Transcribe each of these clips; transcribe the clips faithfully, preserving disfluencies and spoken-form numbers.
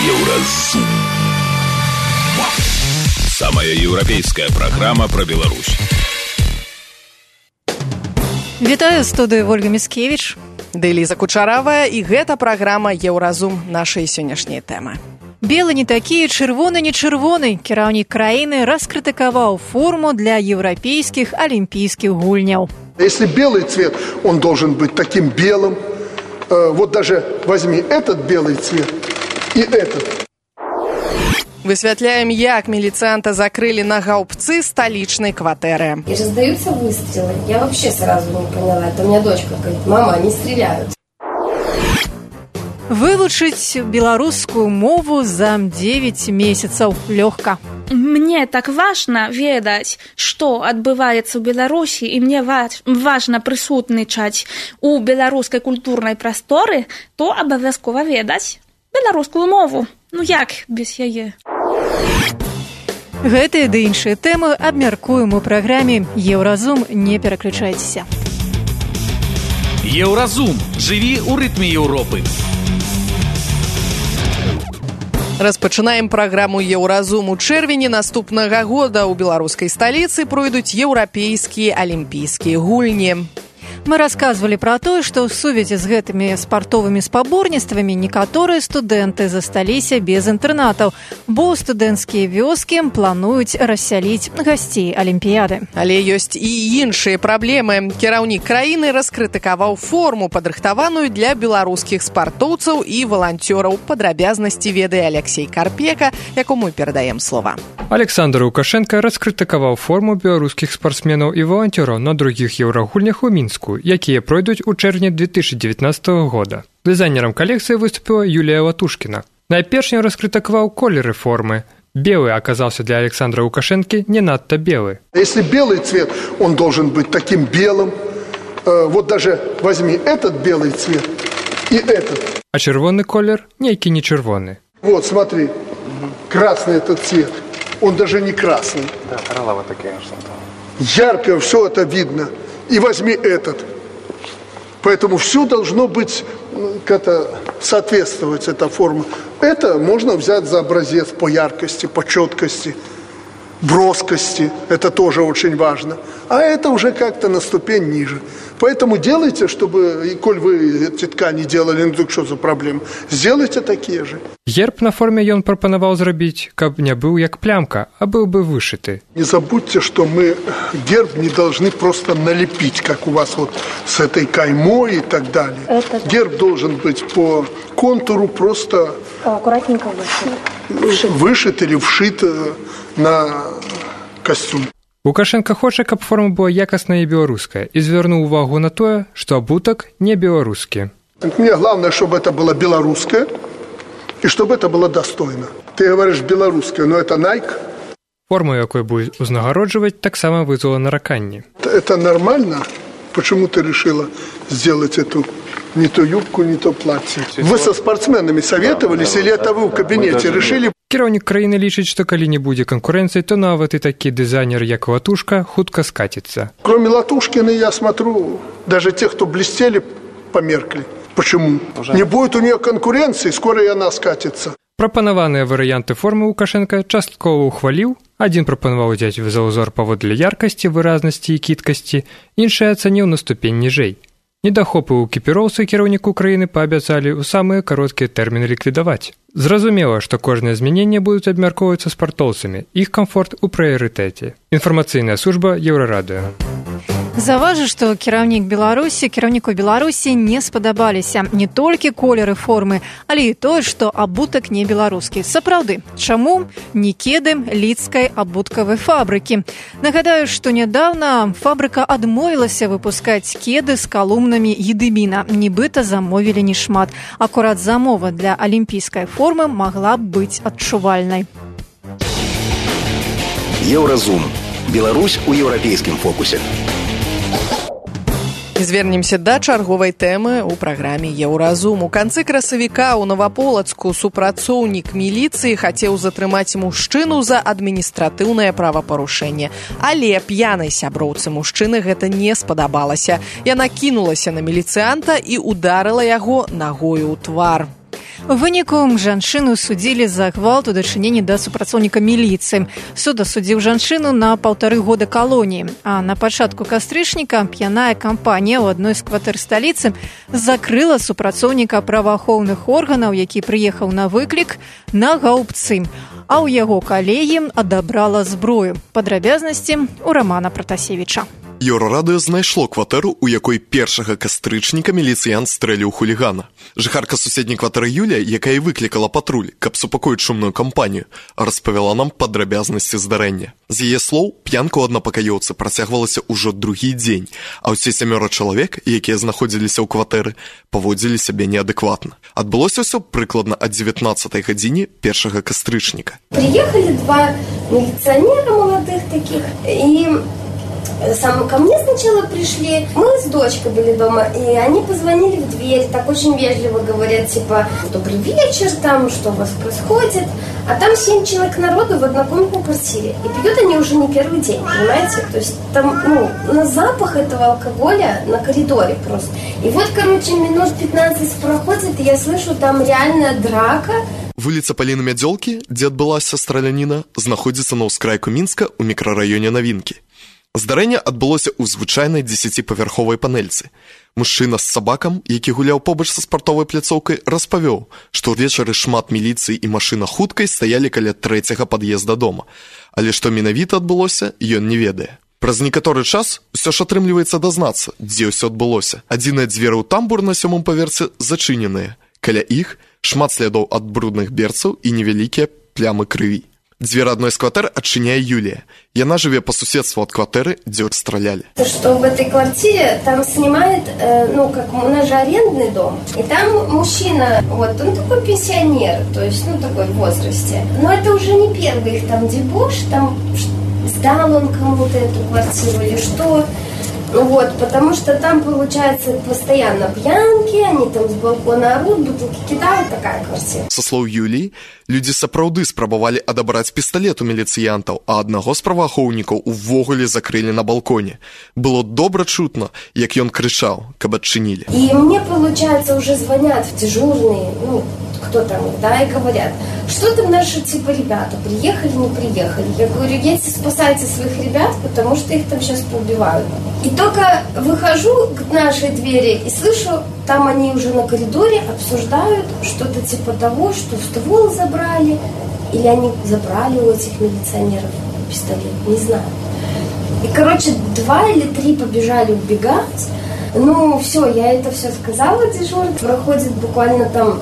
Еўразум. Самая еўрапейская праграма пра Беларусь. Вітаю, студыю Ольга Міскевіч. Ды Ліза Кучаравая, і гэта праграма Еўразум, нашай сённяшняй тэмы. Белы не такі, чырвоны не чырвоны. Кіраўнік краіны раскрытыкаваў форму для еўрапейскіх алімпійскіх гульняў. Если белый цвет, он должен быть таким белым. Вот даже возьми этот белый цвет и этот. Высвятляем, як милицианта закрыли на гаубцы столичной квартиры. И раздаются выстрелы. Я вообще сразу не поняла. Это у меня дочка говорит: мама, они стреляют. Вывучыць беларускую мову за девять месяцаў лёгка. Мне так важна ведаць, што адбываецца ў Беларусі, і мне важна прысутнічаць у беларускай культурнай прасторы, то абавязкова ведаць беларускую мову. Ну як без яе? Гэтыя ды іншыя тэмы абмяркуем у праграме Еўразум, не пераключайцеся. Еўразум. Жыві ў рытме Еўропы. Распачынаем праграму Еўразум. У чэрвені наступнага года ў беларускай сталіцы пройдуць еўрапейскія алімпійскія гульні. Мы расказвалі пра тое, што ў сувязі з гэтымі спартовымі спаборніцтвамі некаторыя студэнты засталіся без інтэрнатаў, бо студэнцкія вёскі плануюць рассяліць гасцей алімпіяды. Але ёсць і іншыя праблемы. Кіраўнік краіны раскрытыкаваў форму, падрыхтаваную для беларускіх спартоўцаў і валанцёраў. Падрабязнасці ведае Алексей Карпека, якому перадаем слова. Александр Лукашенко раскрытыкаваў форму беларускіх спартсменаў і валанцёраў на другіх еўрагульнях у Мінску, якія пройдуць у чэрвені две тысячи девятнадцатого года. Дызайнерам калекцыі выступила Юлія Латушкіна. Найперш ён раскрытыкаваў колеры формы. Белый оказался для Александра Лукашенко не надто белый. Если белый цвет, он должен быть таким белым. Вот даже возьми этот белый цвет и этот. А чырвоны колер нейкі не чырвоны. Вот, смотри, красный этот цвет. Он даже не красный. Да, коралловый такие что-то. Ярко все это видно. И возьми этот. Поэтому все должно быть, как-то соответствовать, эта форма. Это можно взять за образец по яркости, по четкости, броскости. Это тоже очень важно. А это уже как-то на ступень ниже. Поэтому делайте, чтобы, и коль вы эти ткани делали, ну так что за проблема? Сделайте такие же. Герб на форме ён прапанаваў зрабіць, каб не быў як плямка, а был бы вышиты. Не забудьте, что мы герб не должны просто налепить, как у вас вот с этой каймой и так далее. Это... Герб должен быть по контуру просто аккуратненько вышит. Вышит или вшит на костюм. Лукашенко хоча, каб форма была якасная і беларуская, і звярнуў увагу на тое, што абутак не беларускі. Мне главное, чтобы это было белорусское, и чтобы это было достойно. Ты говоришь белорусское, но это Nike. Форму, якой будет узнагароджваць, таксама вызвала нараканні. Это нормально? Почему ты решила сделать эту не то юбку, не то платье? Вы со спортсменами советовались, или это вы в кабинете решили? Кіраўнік краіны лічыць, што калі не будзе канкурэнцыі, то нават і такі дызайнер, як Латушка, хутка скаціцца. Кроме Латушкина, я смотрю, даже те, кто блестели, померкли. Почему? Уже. Не будет у нее конкуренции, скоро и она скатится. Прапанаваныя варыянты формы Лукашенко часткова ухваліў. Адзін прапанаваў узяць за ўзор паводле яркасці, выразнасці і кідкасці, іншы ацаніў на ступень ніжэй. Недахопы ў экіпіроўцы кіраўніку краіны паабяцалі ў самыя кароткія тэрміны ліквідаваць. Зразумела, што кожныя змяненні будуць абмяркоўвацца спартоўцамі, іх камфорт у прыярытэце. Інфармацыйная служба Еўрарадыё. Заважу, што кіраўнік Беларусі, кіраўніку Беларусі не спадабаліся не толькі колеры формы, але і тое, што абутак не беларускі. Сапраўды, чаму не кеды лідскай абуткавай фабрыкі? Нагадаю, што нядаўна фабрыка адмовілася выпускаць кеды з калумнамі едыміна. Нібыта замовілі не шмат. Акурат замова для алімпійскай формы магла б быць адчувальнай. Еўразум. Беларусь у еўрапейскім фокусе. Звернемся да чарговай тэмы ў праграме Еўразум. У канцы красавіка ў Новаполацку супрацоўнік міліцыі хацеў затрымаць мужчыну за адміністратыўнае правапарушэнне. Але п'янай сяброўцы мужчыны гэта не спадабалася. Яна кінулася на міліцыянта і ударыла яго нагою ў твар. У выніку жанчыну судзілі за гвалт у дачыненні да супрацоўніка міліцыі. Суд асудзіў жанчыну на паўтары года калоніі. А на пачатку кастрычніка п'яная кампанія ў адной з кватэр сталіцы закрыла супрацоўніка праваахоўных органаў, які прыехаў на выклік, на гаўбцы. А ў яго калегі адабрала зброю. Падрабязнасці у Романа Пратасевіча. Еўрарадыё знайшло кватэру, у якой першага кастрычніка міліцыянт стрэліў хулігана. Жыхарка суседняй кватэры Юлія, якая выклікала патруль, каб супакоіць шумную кампанію, распавяла нам падрабязнасці здарэння. З яе слоў, п'янка ў аднапакаёўцы працягвалася ўжо другі дзень, а ўсе сямёра чалавек, якія знаходзіліся ў кватэры, паводзілі сябе неадэкватна. Адбылося ўсё прыкладна ад дзевятнаццатай гадзіне першага кастрычніка. Приехали два милиционера молодых таких, и сам ко мне сначала пришли, мы с дочкой были дома, и они позвонили в дверь, так очень вежливо говорят, типа, добрый вечер, там, что у вас происходит, а там семь человек народу в однокомнатной квартире, и пьют они уже не первый день, понимаете, то есть там, ну, на запах этого алкоголя на коридоре просто, и вот, короче, минут пятнадцать проходит, и я слышу, там реальная драка. Вуліца Паліны Мядзёлкі, дзе адбылася страляніна, знаходзіцца на ўскрайку Мінска ў мікрараёне Навінкі. Здарэнне адбылося ў звычайнай дзесяціпавярховай панельцы. Мужчына з сабакам, які гуляў побач са спартовай пляцоўкай, распавёў, што ўвечары шмат міліцыі і машына хуткай стаялі каля трэцяга пад'езда дома. Але што менавіта адбылося, ён не ведае. Праз некаторы час усё ж атрымліваецца дазнацца, дзе ўсё адбылося. Адзіныя дзверы ў тамбур на сёмым паверсе зачыненыя. Каля іх шмат слядоў ад брудных берцаў і невялікія плямы крыві. Дзвер адной з кватэр адчыняе Юлія. Яна жыве по суседству ад кватэры, дзе стралялі. Что в этой квартире там снимает, э, ну, как у нас же арендный дом, и там мужчина, вот, он такой пенсионер, то есть, ну, такой в возрасте. Но это уже не первый их там дебош, там сдал он кому-то эту квартиру или что. Вот, потому что там, получается, постоянно пьянки, они там с балкона орут, бутылки кидают, такая квартира. Со слоў Юліі, людзі сапраўды спрабавалі адабраць пісталет у міліцыянтаў, а аднаго з праваахоўнікаў увогуле закрылі на балконе. Было добра чутно, як ён крычаў, каб адчынілі. И мне, получается, уже звонят в дежурные, ну, кто там, да, и говорят, что там наши, типа, ребята, приехали, не приехали. Я говорю, едьте, спасайте своих ребят, потому что их там сейчас поубивают. И только выхожу к нашей двери и слышу, там они уже на коридоре обсуждают что-то типа того, что ствол забрали, или они забрали у этих милиционеров пистолет, не знаю. И, короче, два или три побежали убегать. Ну, все, я это все сказала дежурно. Проходит буквально там,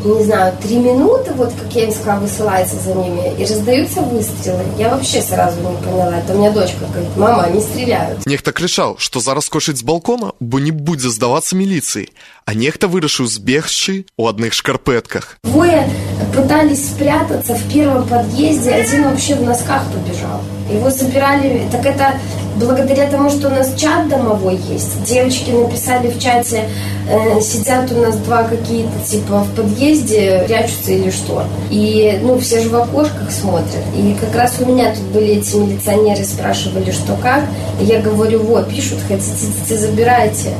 не знаю, три минуты, вот как я им сказала, высылается за ними, и раздаются выстрелы. Я вообще сразу не поняла. Это у меня дочка говорит, мама, они стреляют. Нехта крычаў, што зараз скочыць з балкона, бо не будзе здавацца міліцыі, а нехта вырашыў збегчы ў адных шкарпэтках. Двое пытались спрятаться в первом подъезде, один вообще в носках побежал. Его забирали, так это благодаря тому, что у нас чат домовой есть. Девочки написали в чате, э, сидят у нас два какие-то типа в подъезде, прячутся или что. И, ну, все же в окошках смотрят. И как раз у меня тут были эти милиционеры, спрашивали, что как. И я говорю, вот, пишут, хотите, идти, забирайте.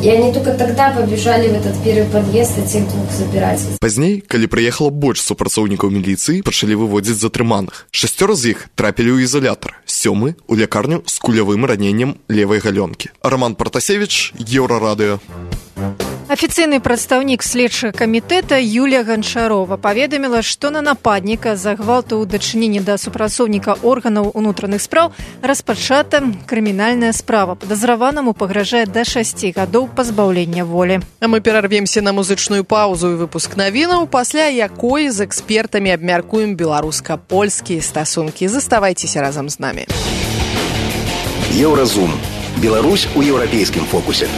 И они только тогда побежали в этот первый подъезд этих двух забирать. Пазней, калі прыехала больш супрацоўнікаў міліцыі, пачалі выводзіць затрыманых. Шасцёра з іх трапілі ў ізалятар, сёмы ў лякарню з кулявым раненнем левай галёнкі. Роман Пратасевіч, Еўрарадыё. Афіцыйны прадстаўнік следчага камітэта Юлія Ганчарова паведаміла, што на нападніка за гвалт у дачыненні да супрацоўніка органаў унутраных спраў распачата крымінальная справа. Падазраванаму пагражае да шасці гадоў пазбаўлення волі. А мы перарвемся на музычную паузу і выпуск навінаў, пасля якой з экспертамі абмяркуем беларуска-польскія стасункі. Заставайцеся разам з намі. Еўразум. Беларусь у еўрапейскім фокусе.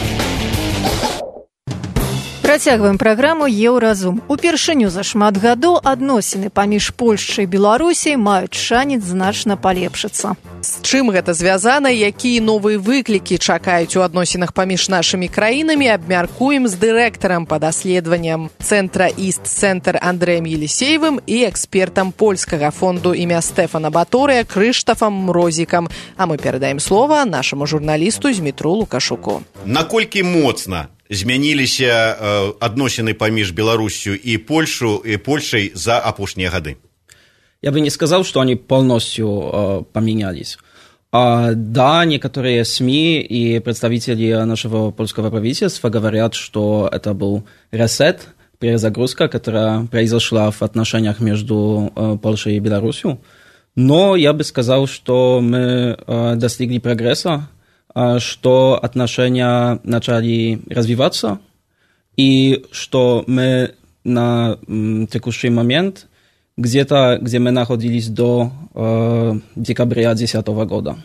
Працягваем праграму «Еўразум». Упершыню за шмат гадоў адносіны паміж Польшчай і Беларусяй маюць шанец значна палепшыцца. З чым гэта звязана, якія новыя выклікі чакаюць у адносінах паміж нашымі краінамі, абмяркуем з дырэктарам па даследаванням цэнтра Іст-цэнтр Андрэем Елісеевым і экспертам польскага фонду імя Стэфана Баторыя Крыштафам Мрозікам. А мы перадаем слова нашаму журналісту Змітру Лукашуку. Наколькі моцна змяніліся адносіны паміж Беларусью и Польшу, и Польшей за апошнія гады? Я бы не сказал, что они полностью э, поменялись. А, да, некоторые СМИ и представители нашего польского правительства говорят, что это был ресет, перезагрузка, которая произошла в отношениях между э, Польшей и Беларусью. Но я бы сказал, что мы э, достигли прогресса, э, что отношения начали развиваться, и что мы на э, текущий момент где-то, где мы находились до э, декабря две тысячи десятого года.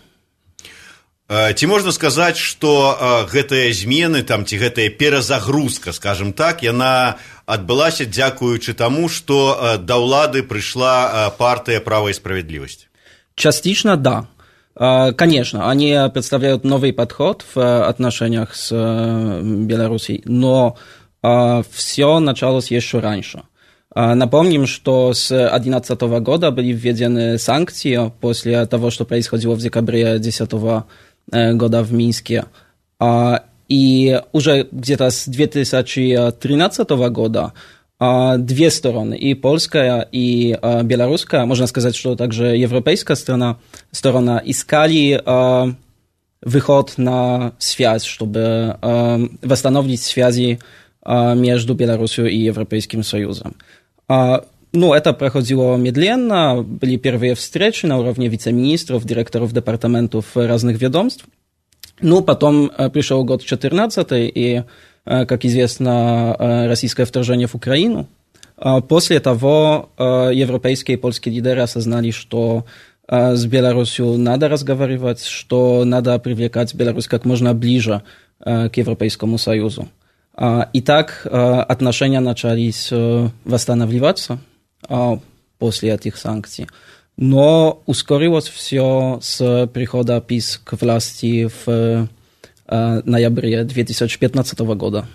Ці можна сказаць, што гэтыя змены, там, ці гэтая перазагрузка, скажем так, яна адбылася дзякуючы таму, што да ўлады пришла партия «Право и справедливость»? Частично, да. Конечно, они представляют новый подход в отношениях с Белоруссией, но все началось еще раньше. Напомним, что с две тысячи одиннадцатого года были введены санкции после того, что происходило в декабре две тысячи десятого года в Минске. И уже где-то с две тысячи тринадцатого года две стороны, и польская, и белорусская, можно сказать, что также европейская сторона, сторона искали выход на связь, чтобы восстановить связи между Беларусью и Европейским Союзом. Ну, это проходило медленно, были первые встречи на уровне вице-министров, директоров департаментов разных ведомств. Ну, потом пришел год четырнадцатый, и, как известно, российское вторжение в Украину. После того европейские и польские лидеры осознали, что с Беларусью надо разговаривать, что надо привлекать Беларусь как можно ближе к Европейскому Союзу. И так отношения начались восстанавливаться после этих санкций. Но ускорилось все с прихода ПиС к власти в ноябре две тысячи пятнадцатого года.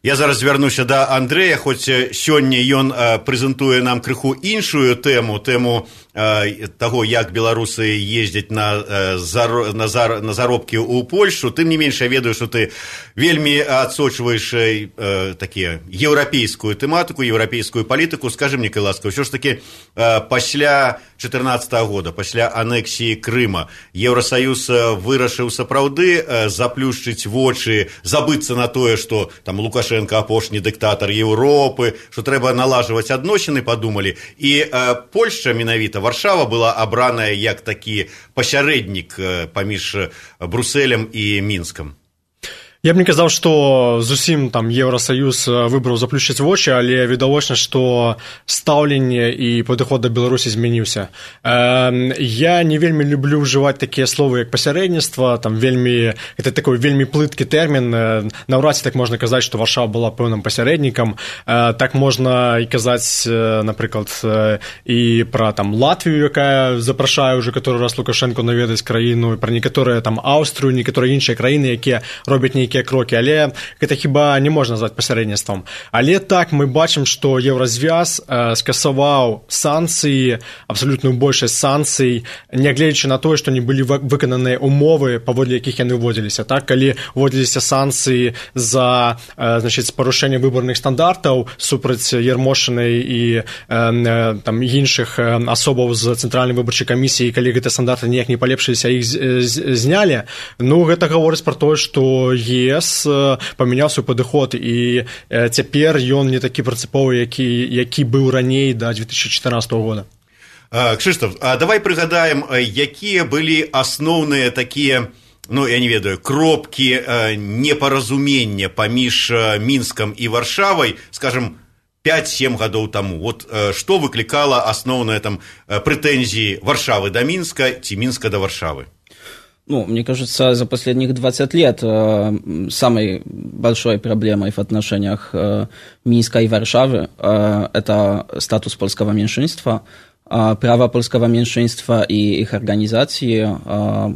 Я зараз звярнуся да Андрэя, хоць сёння ён прэзентуе нам крыху іншую тэму, тэму таго, як беларусы ездзяць на, на, на заробкі ў Польшу. Тым не менш, я ведаю, што ты вельмі адсочваеш такія еўрапейскую тэматыку, еўрапейскую палітыку. Скажы мне, калі ласка, ўсё ж такі пасля чатырнаццатага года, пасля анексіі Крыма, Еўрасаюз вырашыў сапраўды заплюшчыць вочы, забыцца на тое, што там Лукашенко апошні дыктатар Еўропы, што трэба налажваць адносіны, падумалі. І Польшча, менавіта Варшава, была абраная як такі пасярэднік паміж Брусэлем і Мінскам. Я б не казаў, што зусім там Еўрасаюз выбраў заплюшчыць вочы, але відавочна, што стаўленне і падыход да Беларусі змяніўся. Я не вельмі люблю ўжываць такія словы, як пасярэдніцтва, там вельмі, это такой вельмі плыткі тэрмін. Наўрад ці так можна казаць, што Варшава была пэўным пасярэднікам. Так можна і казаць, напрыклад, і пра там Латвію, якая запрашае ўжо каторы раз Лукашенко наведаць краіну, пра некаторыя там Аўстрыю, некаторыя іншыя краіны, якія робяць нейкія крокі, але гэта хіба не можна назваць пасярэдніцтвам. Але так мы бачым, што Еўразвяз э, скасаваў санкцыі, абсалютную большасць санкцый, нягледзячы на тое, што не былі выкананыя умовы, паводле якіх яны ўводзіліся. Так, калі ўводзіліся санкцыі за э, значыць, парушэнне выбарных стандартаў супраць Ярмошынай і э, э, там іншых э, асобаў з цэнтральнай выбарчай камісіі, калі гэтыя стандарты ніяк не палепшыліся, іх знялі, ну гэта гаворыць пра тое, што ЕС памяняў свой падыход, і цяпер ён не такі прынцыповы, які, які быў раней да две тысячи чатырнаццатого года. Кшыштаф, а давай прыгадаем, якія былі асноўныя такія, ну, я не ведаю, кропкі непаразумення паміж Мінскам і Варшавай, скажем, пять-семь гадоў таму. Вот што выклікала асноўныя там прэтэнзіі Варшавы да Мінска ці Мінска да Варшавы? Ну, мне кажется, за последних двадцать лет э, самой большой проблемой в отношениях э, Минска и Варшавы э, это статус польского меньшинства, э, право польского меньшинства и их организации, э,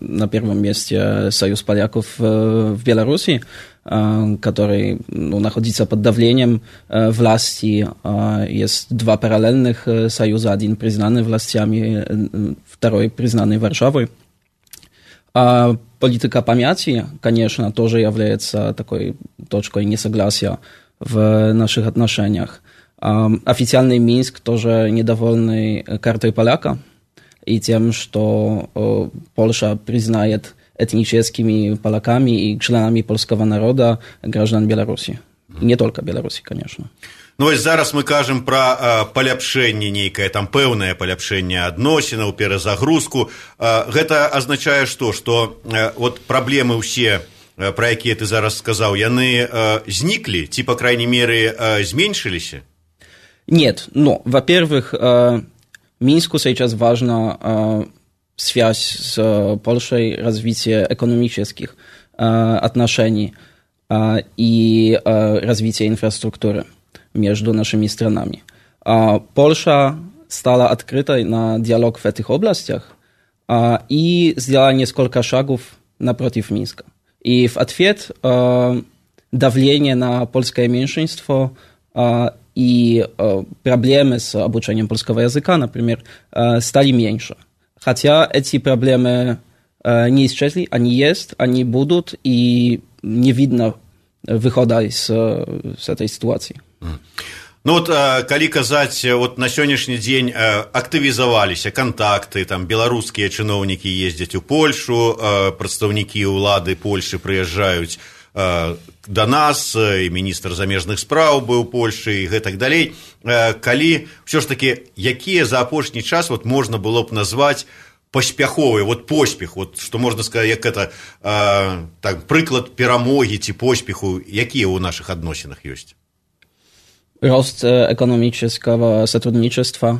на первом месте Союз поляков э, в Беларуси, э, который ну, находится под давлением э, власти. Э, есть два параллельных э, союза, один признанный властями, э, второй признанный Варшавой. политика памяти, конечно, тоже является такой точкой несогласия в наших отношениях. Официальный Минск тоже недовольный картой поляка и тем, что Польша признает этническими поляками и членами польского народа граждан Беларуси. Не только Беларуси, конечно. Ну, вось зараз мы кажам пра э, паляпшэнне нейкае, там пэўнае паляпшэнне адносінаў, перазагрузку. Э, гэта азначае што? Што э, вот праблемы ўсе, э, пра якія ты зараз сказаў, яны э, зніклі, ці, па крайней мере, э, зменшыліся? Нет, ну, во-первых, э, Минску сейчас важна э, связь с э, Польшей, развитие экономических э, отношений э, и э, развитие инфраструктуры между нашими странами. А Польша стала открытой на диалог в этих областях а, и сделала несколько шагов напротив Минска. И в ответ а, давление на польское меньшинство а, и а, проблемы с обучением польского языка, например, а, стали меньше. Хотя эти проблемы а, не исчезли, они есть, они будут, и не видно выхода из, с этой ситуации. Ну вот, калі казаць, вот на сённяшні дзень актывізаваліся кантакты, там беларускія чыноўнікі ездзяць у Польшу, прадстаўнікі ўлады Польшы прыязджаюць да нас, і міністр замежных спраў быў у Польшы і гэтак далей. Калі ўсё ж такі, якія за апошні час вот можна было б назваць паспяховыя, вот поспех, вот што можна сказаць, як это так, прыклад перамогі ці поспеху, якія ў нашых адносінах ёсць? Рост экономического сотрудничества,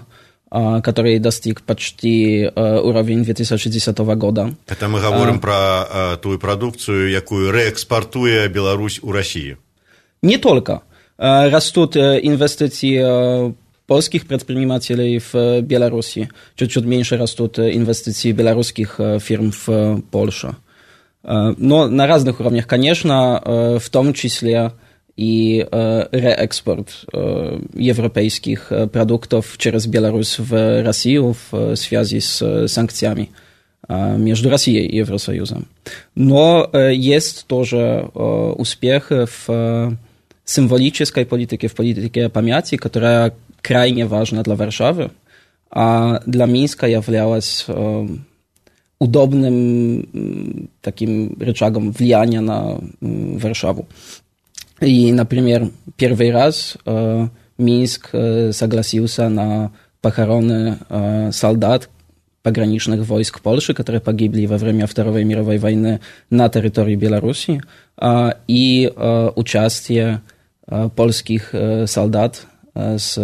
который достиг почти уровень две тысячи десятого года. Это мы говорим а, про ту продукцию, якую реэкспортуе Беларусь у России. Не только. Растут инвестиции польских предпринимателей в Беларуси. Чуть-чуть меньше растут инвестиции белорусских фирм в Польшу. Но на разных уровнях, конечно, в том числе и э, реэкспорт э, европейских э, продуктов через Беларусь в Россию в связи с санкциями э, между Россией и Евросоюзом. Но э, есть тоже э, успех в э, символической политике, в политике памяти, которая крайне важна для Варшавы, а для Минска являлась э, удобным э, таким рычагом влияния на э, Варшаву. И, например, первый раз э, Минск э, согласился на похороны э, солдат пограничных войск Польши, которые погибли во время Второй мировой войны на территории Беларуси, э, и э, участие э, польских э, солдат э, с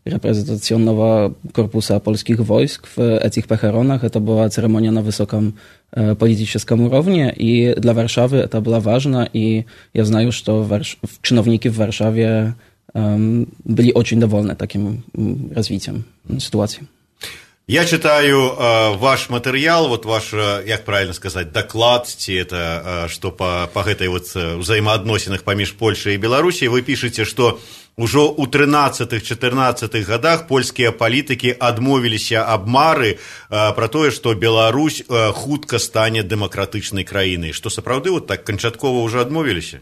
репрезентационного корпуса польских войск в этих похоронах. Это была церемония на высоком э, политическом уровне, и для Варшавы это было важно, и я знаю, что Варш... чиновники в Варшаве э, были очень довольны таким развитием ситуации. Я читаю э, ваш материал, вот ваш, э, як правильно сказать, доклад, ці это, э, что по, по гэтай вот взаимоотносинах паміж Польшай и Беларусей, вы пишете, что ужо ў трынаццатых-чатырнаццатых годах польскія палітыкі адмовіліся ад мары э, про тое, што Беларусь э, хутка стане дэмакратычнай краінай. Што сапраўды вот так канчаткова уже адмовіліся?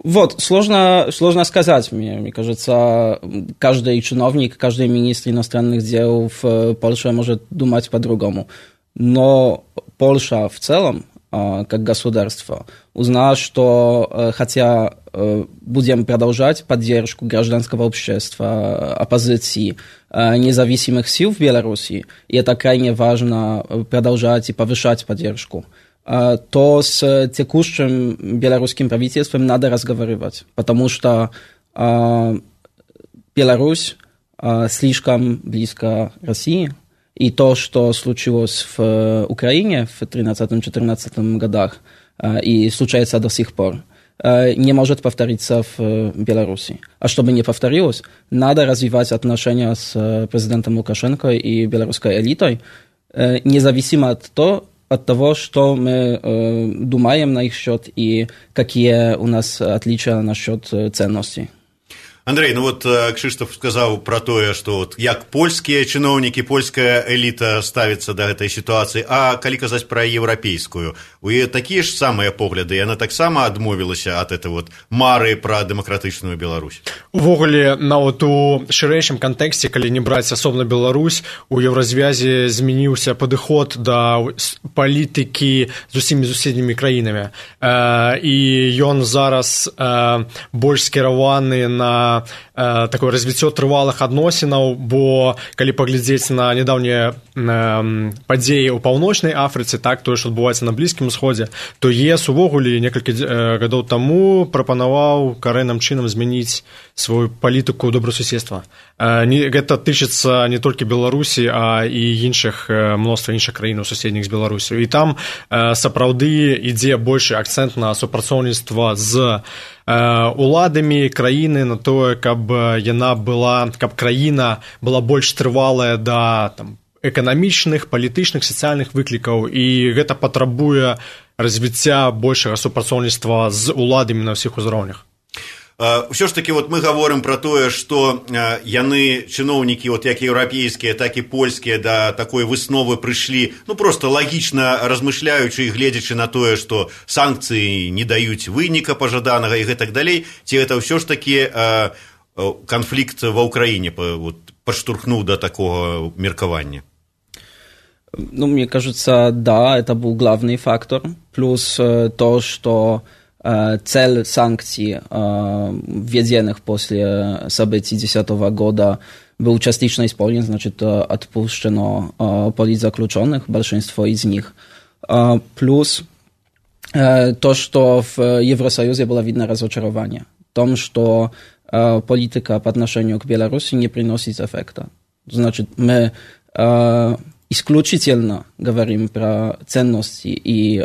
Вот, сложно, сложно сказать, мне, мне кажется, каждый чиновник, каждый министр иностранных дел в Польше может думать по-другому. Но Польша в целом, как государство, узнала, что хотя будем продолжать поддержку гражданского общества, оппозиции, независимых сил в Беларуси, и это крайне важно продолжать и повышать поддержку, то с текущим белорусским правительством надо разговаривать, потому что э, Беларусь э, слишком близко России, и то, что случилось в Украине в тринадцатом-четырнадцатом годах э, и случается до сих пор, э, не может повториться в Беларуси. А чтобы не повторилось, надо развивать отношения с президентом Лукашенко и белорусской элитой, э, независимо от того, от того, что мы э, думаем на их счет и какие у нас отличия насчет ценностей. Андрей, ну вот Кшыштаф сказаў пра тое, што вот як польскія чыноўнікі, польская эліта ставіцца да гэтай сітуацыі, а калі казаць пра еўрапейскую, у яе такія ж самыя погляды, яна таксама адмовілася ад этой вот мары пра дэмакратычную Беларусь. Увогуле, нават у шырэйшым кантэксце, калі не браць асобна Беларусь, у еўразвязе змяніўся падыход да палітыкі з усімі суседнімі краінамі. І ён зараз больш скіраваны на такое развіццё трывалых адносінаў, бо калі паглядзець на нядаўнія падзеі ў паўночнай Афрыцы, так, тое, што адбываецца на Блізкім Усходзе, то ЕС увогуле некалькі гадоў таму прапанаваў карэнным чынам змяніць сваю палітыку добрасуседства. Гэта тычыцца не толькі Беларусі, а і іншых, мноства іншых краін суседніх з Беларусю. І там сапраўды ідзе большы акцэнт на супрацоўніцтва з уладамі краіны, на тое, каб яна была, каб краіна была больш трывалая да там эканамічных, палітычных, сацыяльных выклікаў, і гэта патрабуе развіцця большага супрацоўніцтва з уладамі на ўсіх узроўнях. Ўсё ж такі вот мы гаворым пра тое, што яны, чыноўнікі, вот як еўрапейскія, так і польскія, да такой высновы прыйшлі, ну проста лагічна размышляючы і гледзячы на тое, што санкцыі не даюць выніка пажаданага і гэтак далей, ці гэта ўсё ж такі канфлікт ва ўкраіне вот, падштурхнуў да такого меркавання? Ну, мне кажется, да, это был главный фактор. Плюс то, что цель санкций, введенных после событий две тысячи десятого года, был частично исполнен, значит, отпущено политзаключенных, большинство из них. Плюс то, что в Евросоюзе было видно разочарование в том, что политика по отношению к Беларуси не приносит эффекта. Значит, мы исключительно говорим про ценности, и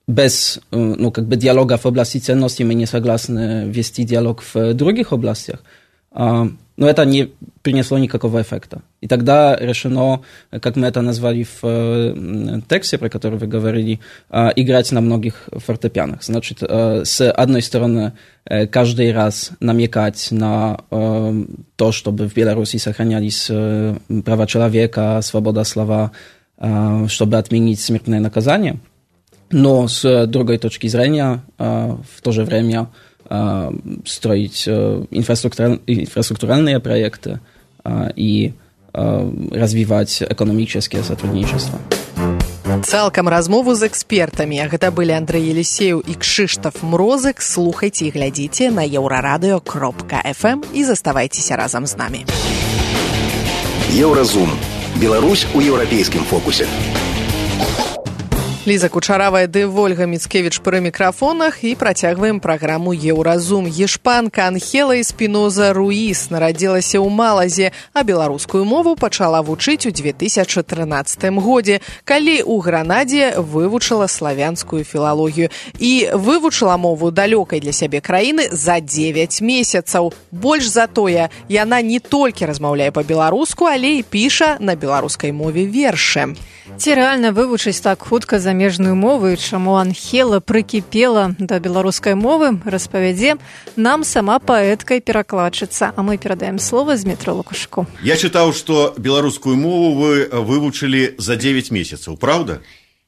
без, ну, как бы диалога в области ценностей мы не согласны вести диалог в других областях, но это не принесло никакого эффекта. И тогда решено, как мы это назвали в тексте, про который вы говорили, играть на многих фортепианах. Значит, с одной стороны, каждый раз намекать на то, чтобы в Беларуси сохранялись права человека, свобода слова, чтобы отменить смертное наказание. Но с другой точки зрения, в то же время строить инфраструктуральные проекты и развивать экономическое сотрудничество. Цалкам размову з экспертамі. Гэта былі Андрэй Елісеў і Кшыштаф Мрозык. Слухайце і глядзіце на еўрарадыё кропка эф эм і заставайцеся разам з намі. Еўразум. Беларусь у еўрапейскім фокусе. Ліза Кучаравая ды Вольга Міцкевіч пры мікрафонах і працягваем праграму «Еўразум». Ешпанка Анхела Эспіноза Руіс нарадзілася ў Малазе, а беларускую мову пачала вучыць у две тысячы трынаццатым годзе, калі ў Гранадзе вывучыла славянскую філалогію. І вывучыла мову далёкай для сябе краіны за дзевяць месяцаў. Больш за тое, яна не толькі размаўляе па-беларуску, але і піша на беларускай мове вершы. Ці рэальна вывучыць так хутка замежную мову і чаму Анхела прыкіпела да беларускай мовы, распавядзе нам сама паэтка і перакладчыца. А мы перадаем слово Змітру Лукашку. Я чытаў, што беларускую мову вы вывучылі за дзевяць месяцаў, праўда?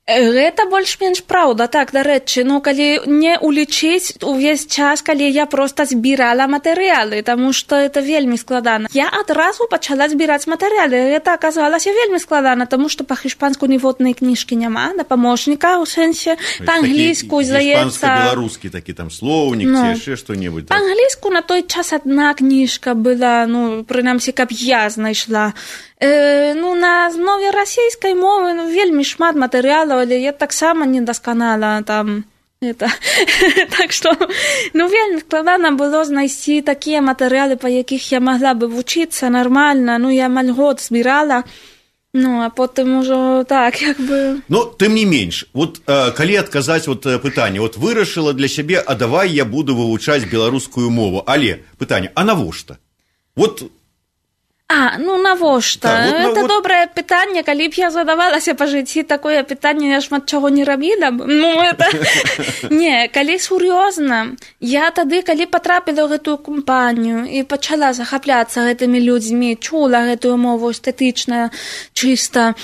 Гэта больш-менш праўда, так, дарэчы, ну, калі не улічыць увесь час, калі я проста збірала матэрыялы, таму што это вельмі складана. Я адразу пачала збіраць матэрыялы, гэта аказалася вельмі складана, таму што па-іспанску ніводнай кніжкі няма, на памочніка, у сэнсе, па-англійску, здаецца... Іспанска-беларускі такі там слоўнік, ці яшчэ што-небудзь. Па-англійску на той час адна кніжка была, ну, прынамсі, каб я знайшла. Э, ну, на мове расійскай мовы ну, вельмі шмат матэрыялаў, але я таксама недасканала там это. Так што, ну, вельмі складана было знайсці такія матэрыялы, па якіх я магла бы вучыцца нармальна. Ну, я амаль год збірала, ну, а потым ужо так, як бы... Ну, тым не менш, вот э, калі адказаць вот, пытанне, вот вырашыла для сябе, а давай я буду вывучаць беларускую мову, але пытанне, а навошта? Вот... А, ну навошта? Так, вот, это вот... добрае пытанне, калі б я задавалася па жыцці такое пытанне, я шмат чаго не рабіла б. Ну, это... Не, калі сур'ёзна, я тады, калі патрапіла ў гэтую кампанію і пачала захапляцца гэтымі людзьмі, чула гэтую мову эстэтычна, чыста,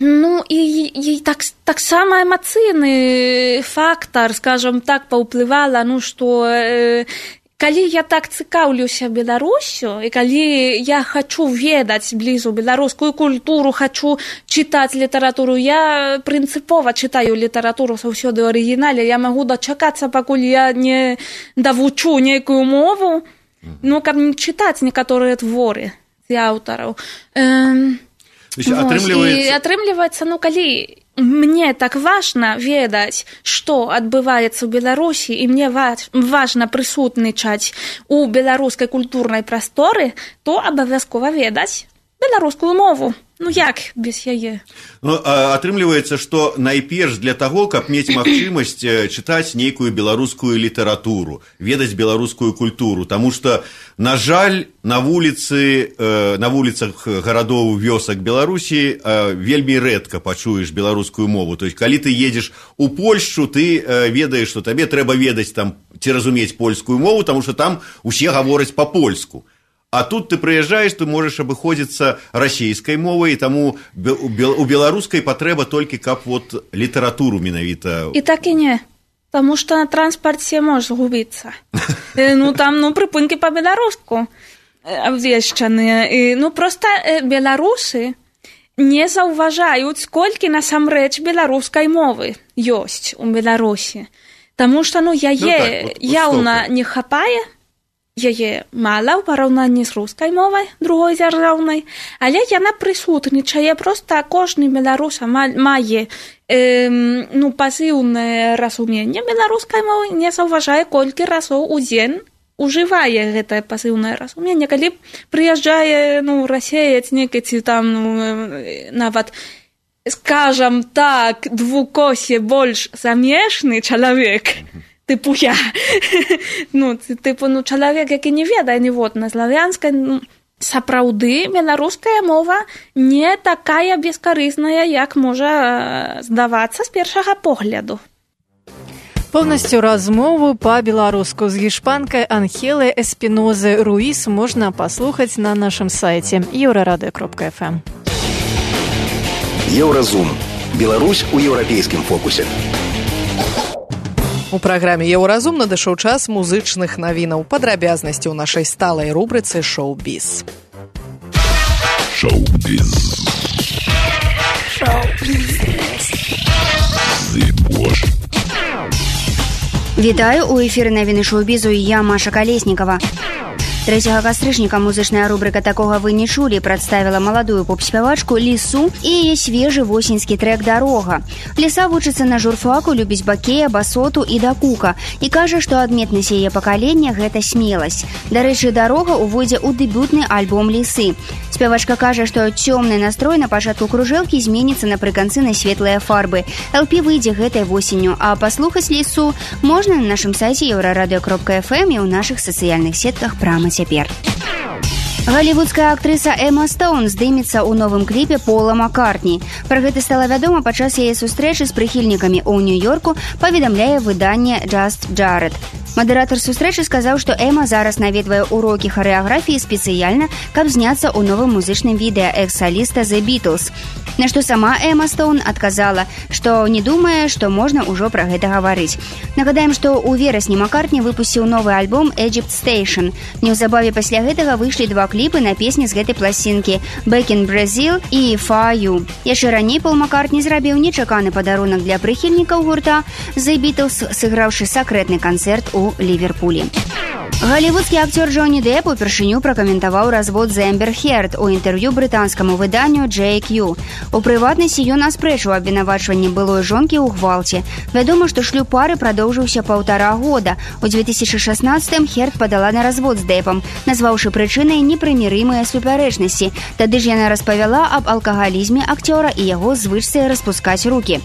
ну, і, і так, таксама эмацыйны фактар, скажам так, паўплывала, ну, што... Э, калі я так цікаўлюся Беларусю, і калі я хачу ведаць блізу беларускую культуру, хачу чытаць літаратуру, я прынцыпова чытаю літаратуру заўсёды ў арыгінале, я магу дачакацца, пакуль я не давучу нейкую мову, ну, каб не чытаць некаторыя творы з аўтараў. Эм, атрымліваецца... І атрымліваецца, ну, калі... Мне так важна ведаць, што адбываецца ў Беларусі, і мне важна прысутнічаць у беларускай культурнай прасторы, то абавязкова ведаць беларускую мову. Ну як без яе? Ну, атрымліваецца, што найперш для таго, каб мець магчымасць чытаць нейкую беларускую літаратуру, ведаць беларускую культуру, таму што, на жаль, на вуліцы, на вуліцах гарадоў, вёсак Беларусі вельмі рэдка пачуеш беларускую мову. То есть, калі ты едзеш у Польшчу, ты ведаеш, што табе трэба ведаць там ці разумець польскую мову, таму што там усе гавораць па-польску. А тут ты прыязджаеш, ты можаш абыходзіцца расійскай мовай, і таму у беларускай патрэба толькі каб вот літаратуру менавіта. І так і не, таму што на транспарце можаш згубіцца. Ну там, ну, прыпынкі па-беларуску абвешчаныя. Ну проста беларусы не заўважаюць, колькі насамрэч беларускай мовы ёсць у Беларусі. Таму што, ну, яе яўна не хапае, яе мала ў параўнанні з рускай мовай, другой дзяржаўнай, але яна прысутнічае, проста кожны беларус мае э, ну, пасіўнае разуменне беларускай мовы, не заўважае, колькі разоў у дзень ужывае гэтае пасіўнае разуменне. Калі прыязджае, ну, расеяць некі ці там, ну, нават, скажам так, двукосе больш замежны чалавек, типу я. Ну, типу, ну, чалавек, які не ведае ніводна славянскай, ну, сапраўды беларуская мова не такая бескарысная, як можа здавацца з першага погляду. Полностью размову по-беларуску з гішпанкай Анхелай Эспінозай Руіс можна паслухаць на нашым сайце еўрарадыё кропка эф эм. Еўразум. Беларусь у еўрапейскім фокусе. У праграме «Еўразум» надышоў час музычных навінаў. Падрабязнасці ў нашай сталай рубрыцы «Шоу-біз». Шоу-біз. Шоу-біз. Вітаю, у эфіры навіны шоу-бізу, я Маша Калеснікава. трэцяга кастрычніка музычная рубрыка «Такога вы не чулі» прадставіла маладую поп-спявачку Лісу і яе свежы восеньскі трэк «Дарога». Ліса вучыцца на журфаку, любіць бакея, басоту і дакука і кажа, што адметнасць яе пакалення – гэта смеласць. Дарэчы, «Дарога» увойдзе ў дэбютны альбом Лісы. Спявачка кажа, што цёмны настрой на пачатку кружэлкі зменіцца напрыканцы на светлыя фарбы. эл пі выйдзе гэтай восенню, а паслухаць Лісу можна на нашым сайце еўрарадыё кропка эф эм і ў нашых сацыяльных сетках прама цяпер. Галівудская актрыса Эма Стоун здымецца ў новым кліпе Пола Маккартні. Пра гэта стала вядома падчас яе сустрэчы з прыхільнікамі ў Нью-Йорку, паведамляе выданне Just Jared. Мадэратар сустрэчы сказаў, што Эма зараз наведвае урокі харэаграфіі спецыяльна, каб зняцца ў новым музычным відэа экс-саліста The Beatles. На што сама Эма Стоун адказала, што не думае, што можна ўжо пра гэта гаварыць. Нагадаем, што ў верасні Маккартні выпусціў новы альбом Egypt Station. Неўзабаве пасля гэтага выйшлі два кліпы на песні з гэтай пласцінкі Back in Brazil і For You. Яшчэ раней Пол Маккартні зрабіў нечаканы падарунак для прыхільнікаў гурта The Beatles, сыграўшы сакрэтны канцэрт у Ливерпулі. Галівудскі акцёр Джонні Депп упершыню пракаментаваў развод з Эмбер Херд у інтэрв'ю брытанскаму выданню джей кью. У прыватнасці ён аспрэчыў абвінавачванні былой жонкі ў гвалце. Вядома, што шлюб пары прадоўжыўся паўтара года. У две тысячы шаснаццатым Херд падала на развод з Деппам, назваўшы прычынай непрымірымыя супярэчнасці. Тады ж яна распавяла аб алкагалізме акцёра і яго звычцы распускаць рукі.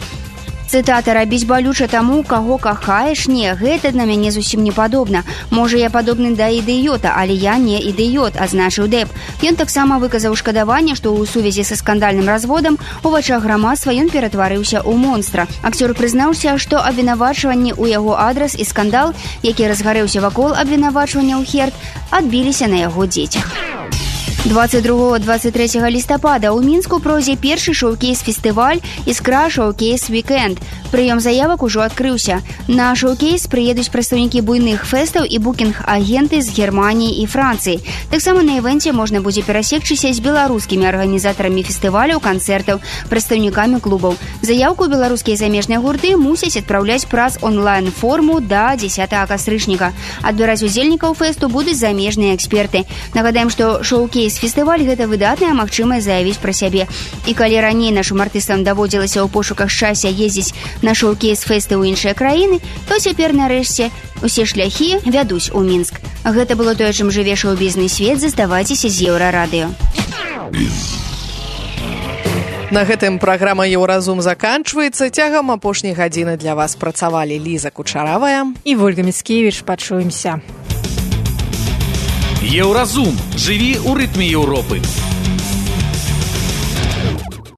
Цытата «Рабіць балюча таму, каго кахаеш, не, гэта на мяне зусім не падобна. Можа, я падобны да ідыёта, але я не ідыёт», азначыў Дэп. Ён таксама выказаў шкадаванне, што ў сувязі са скандальным разводам у вачах грамадства ён ператварыўся ў монстра. Акцёр прызнаўся, што абвінавачванні ў яго адрас і скандал, які разгарэўся вакол абвінавачванняў Херд, адбіліся на яго дзецях. двадцать другого - двадцать третьего лістапада ў Мінску пройдзе першы шоу-кейс-фестываль «Іскра шоу-кейс Вікенд». Прыём заявак ужо адкрыўся. На шоу-кейс прыедуць прадстаўнікі буйных фэстаў і букінг-агенты з Германіі і Францыі. Таксама на івэнце можна будзе перасекчыся з беларускімі арганізатарамі фестываляў, канцэртаў, прадстаўнікамі клубаў. Заяўку беларускія замежныя гурты мусяць адпраўляць праз онлайн-форму да дзесятага кастрычніка. Адбіраць удзельнікаў фэсту будуць замежныя эксперты. Нагадаем, што шоу-кейс фестываль гэта выдатная магчымасць заявіць пра сябе. І калі раней нашым артыстам даводзілася ў пошуках шчасця ездзіць на шоу-кейс-фэсты ў іншыя краіны, то цяпер нарэшце усе шляхі вядуць у Мінск. Гэта было тое, чым жыве шоу-бізнес свет. Заставайцеся з Еўрарадыё. На гэтым праграма «Еўразум» заканчваецца. Цягам апошняй гадзіны для вас працавалі Ліза Кучаравая і Вольга Міцкевіч. Пачуемся. Еўразум. Жыві ў рытме Еўропы.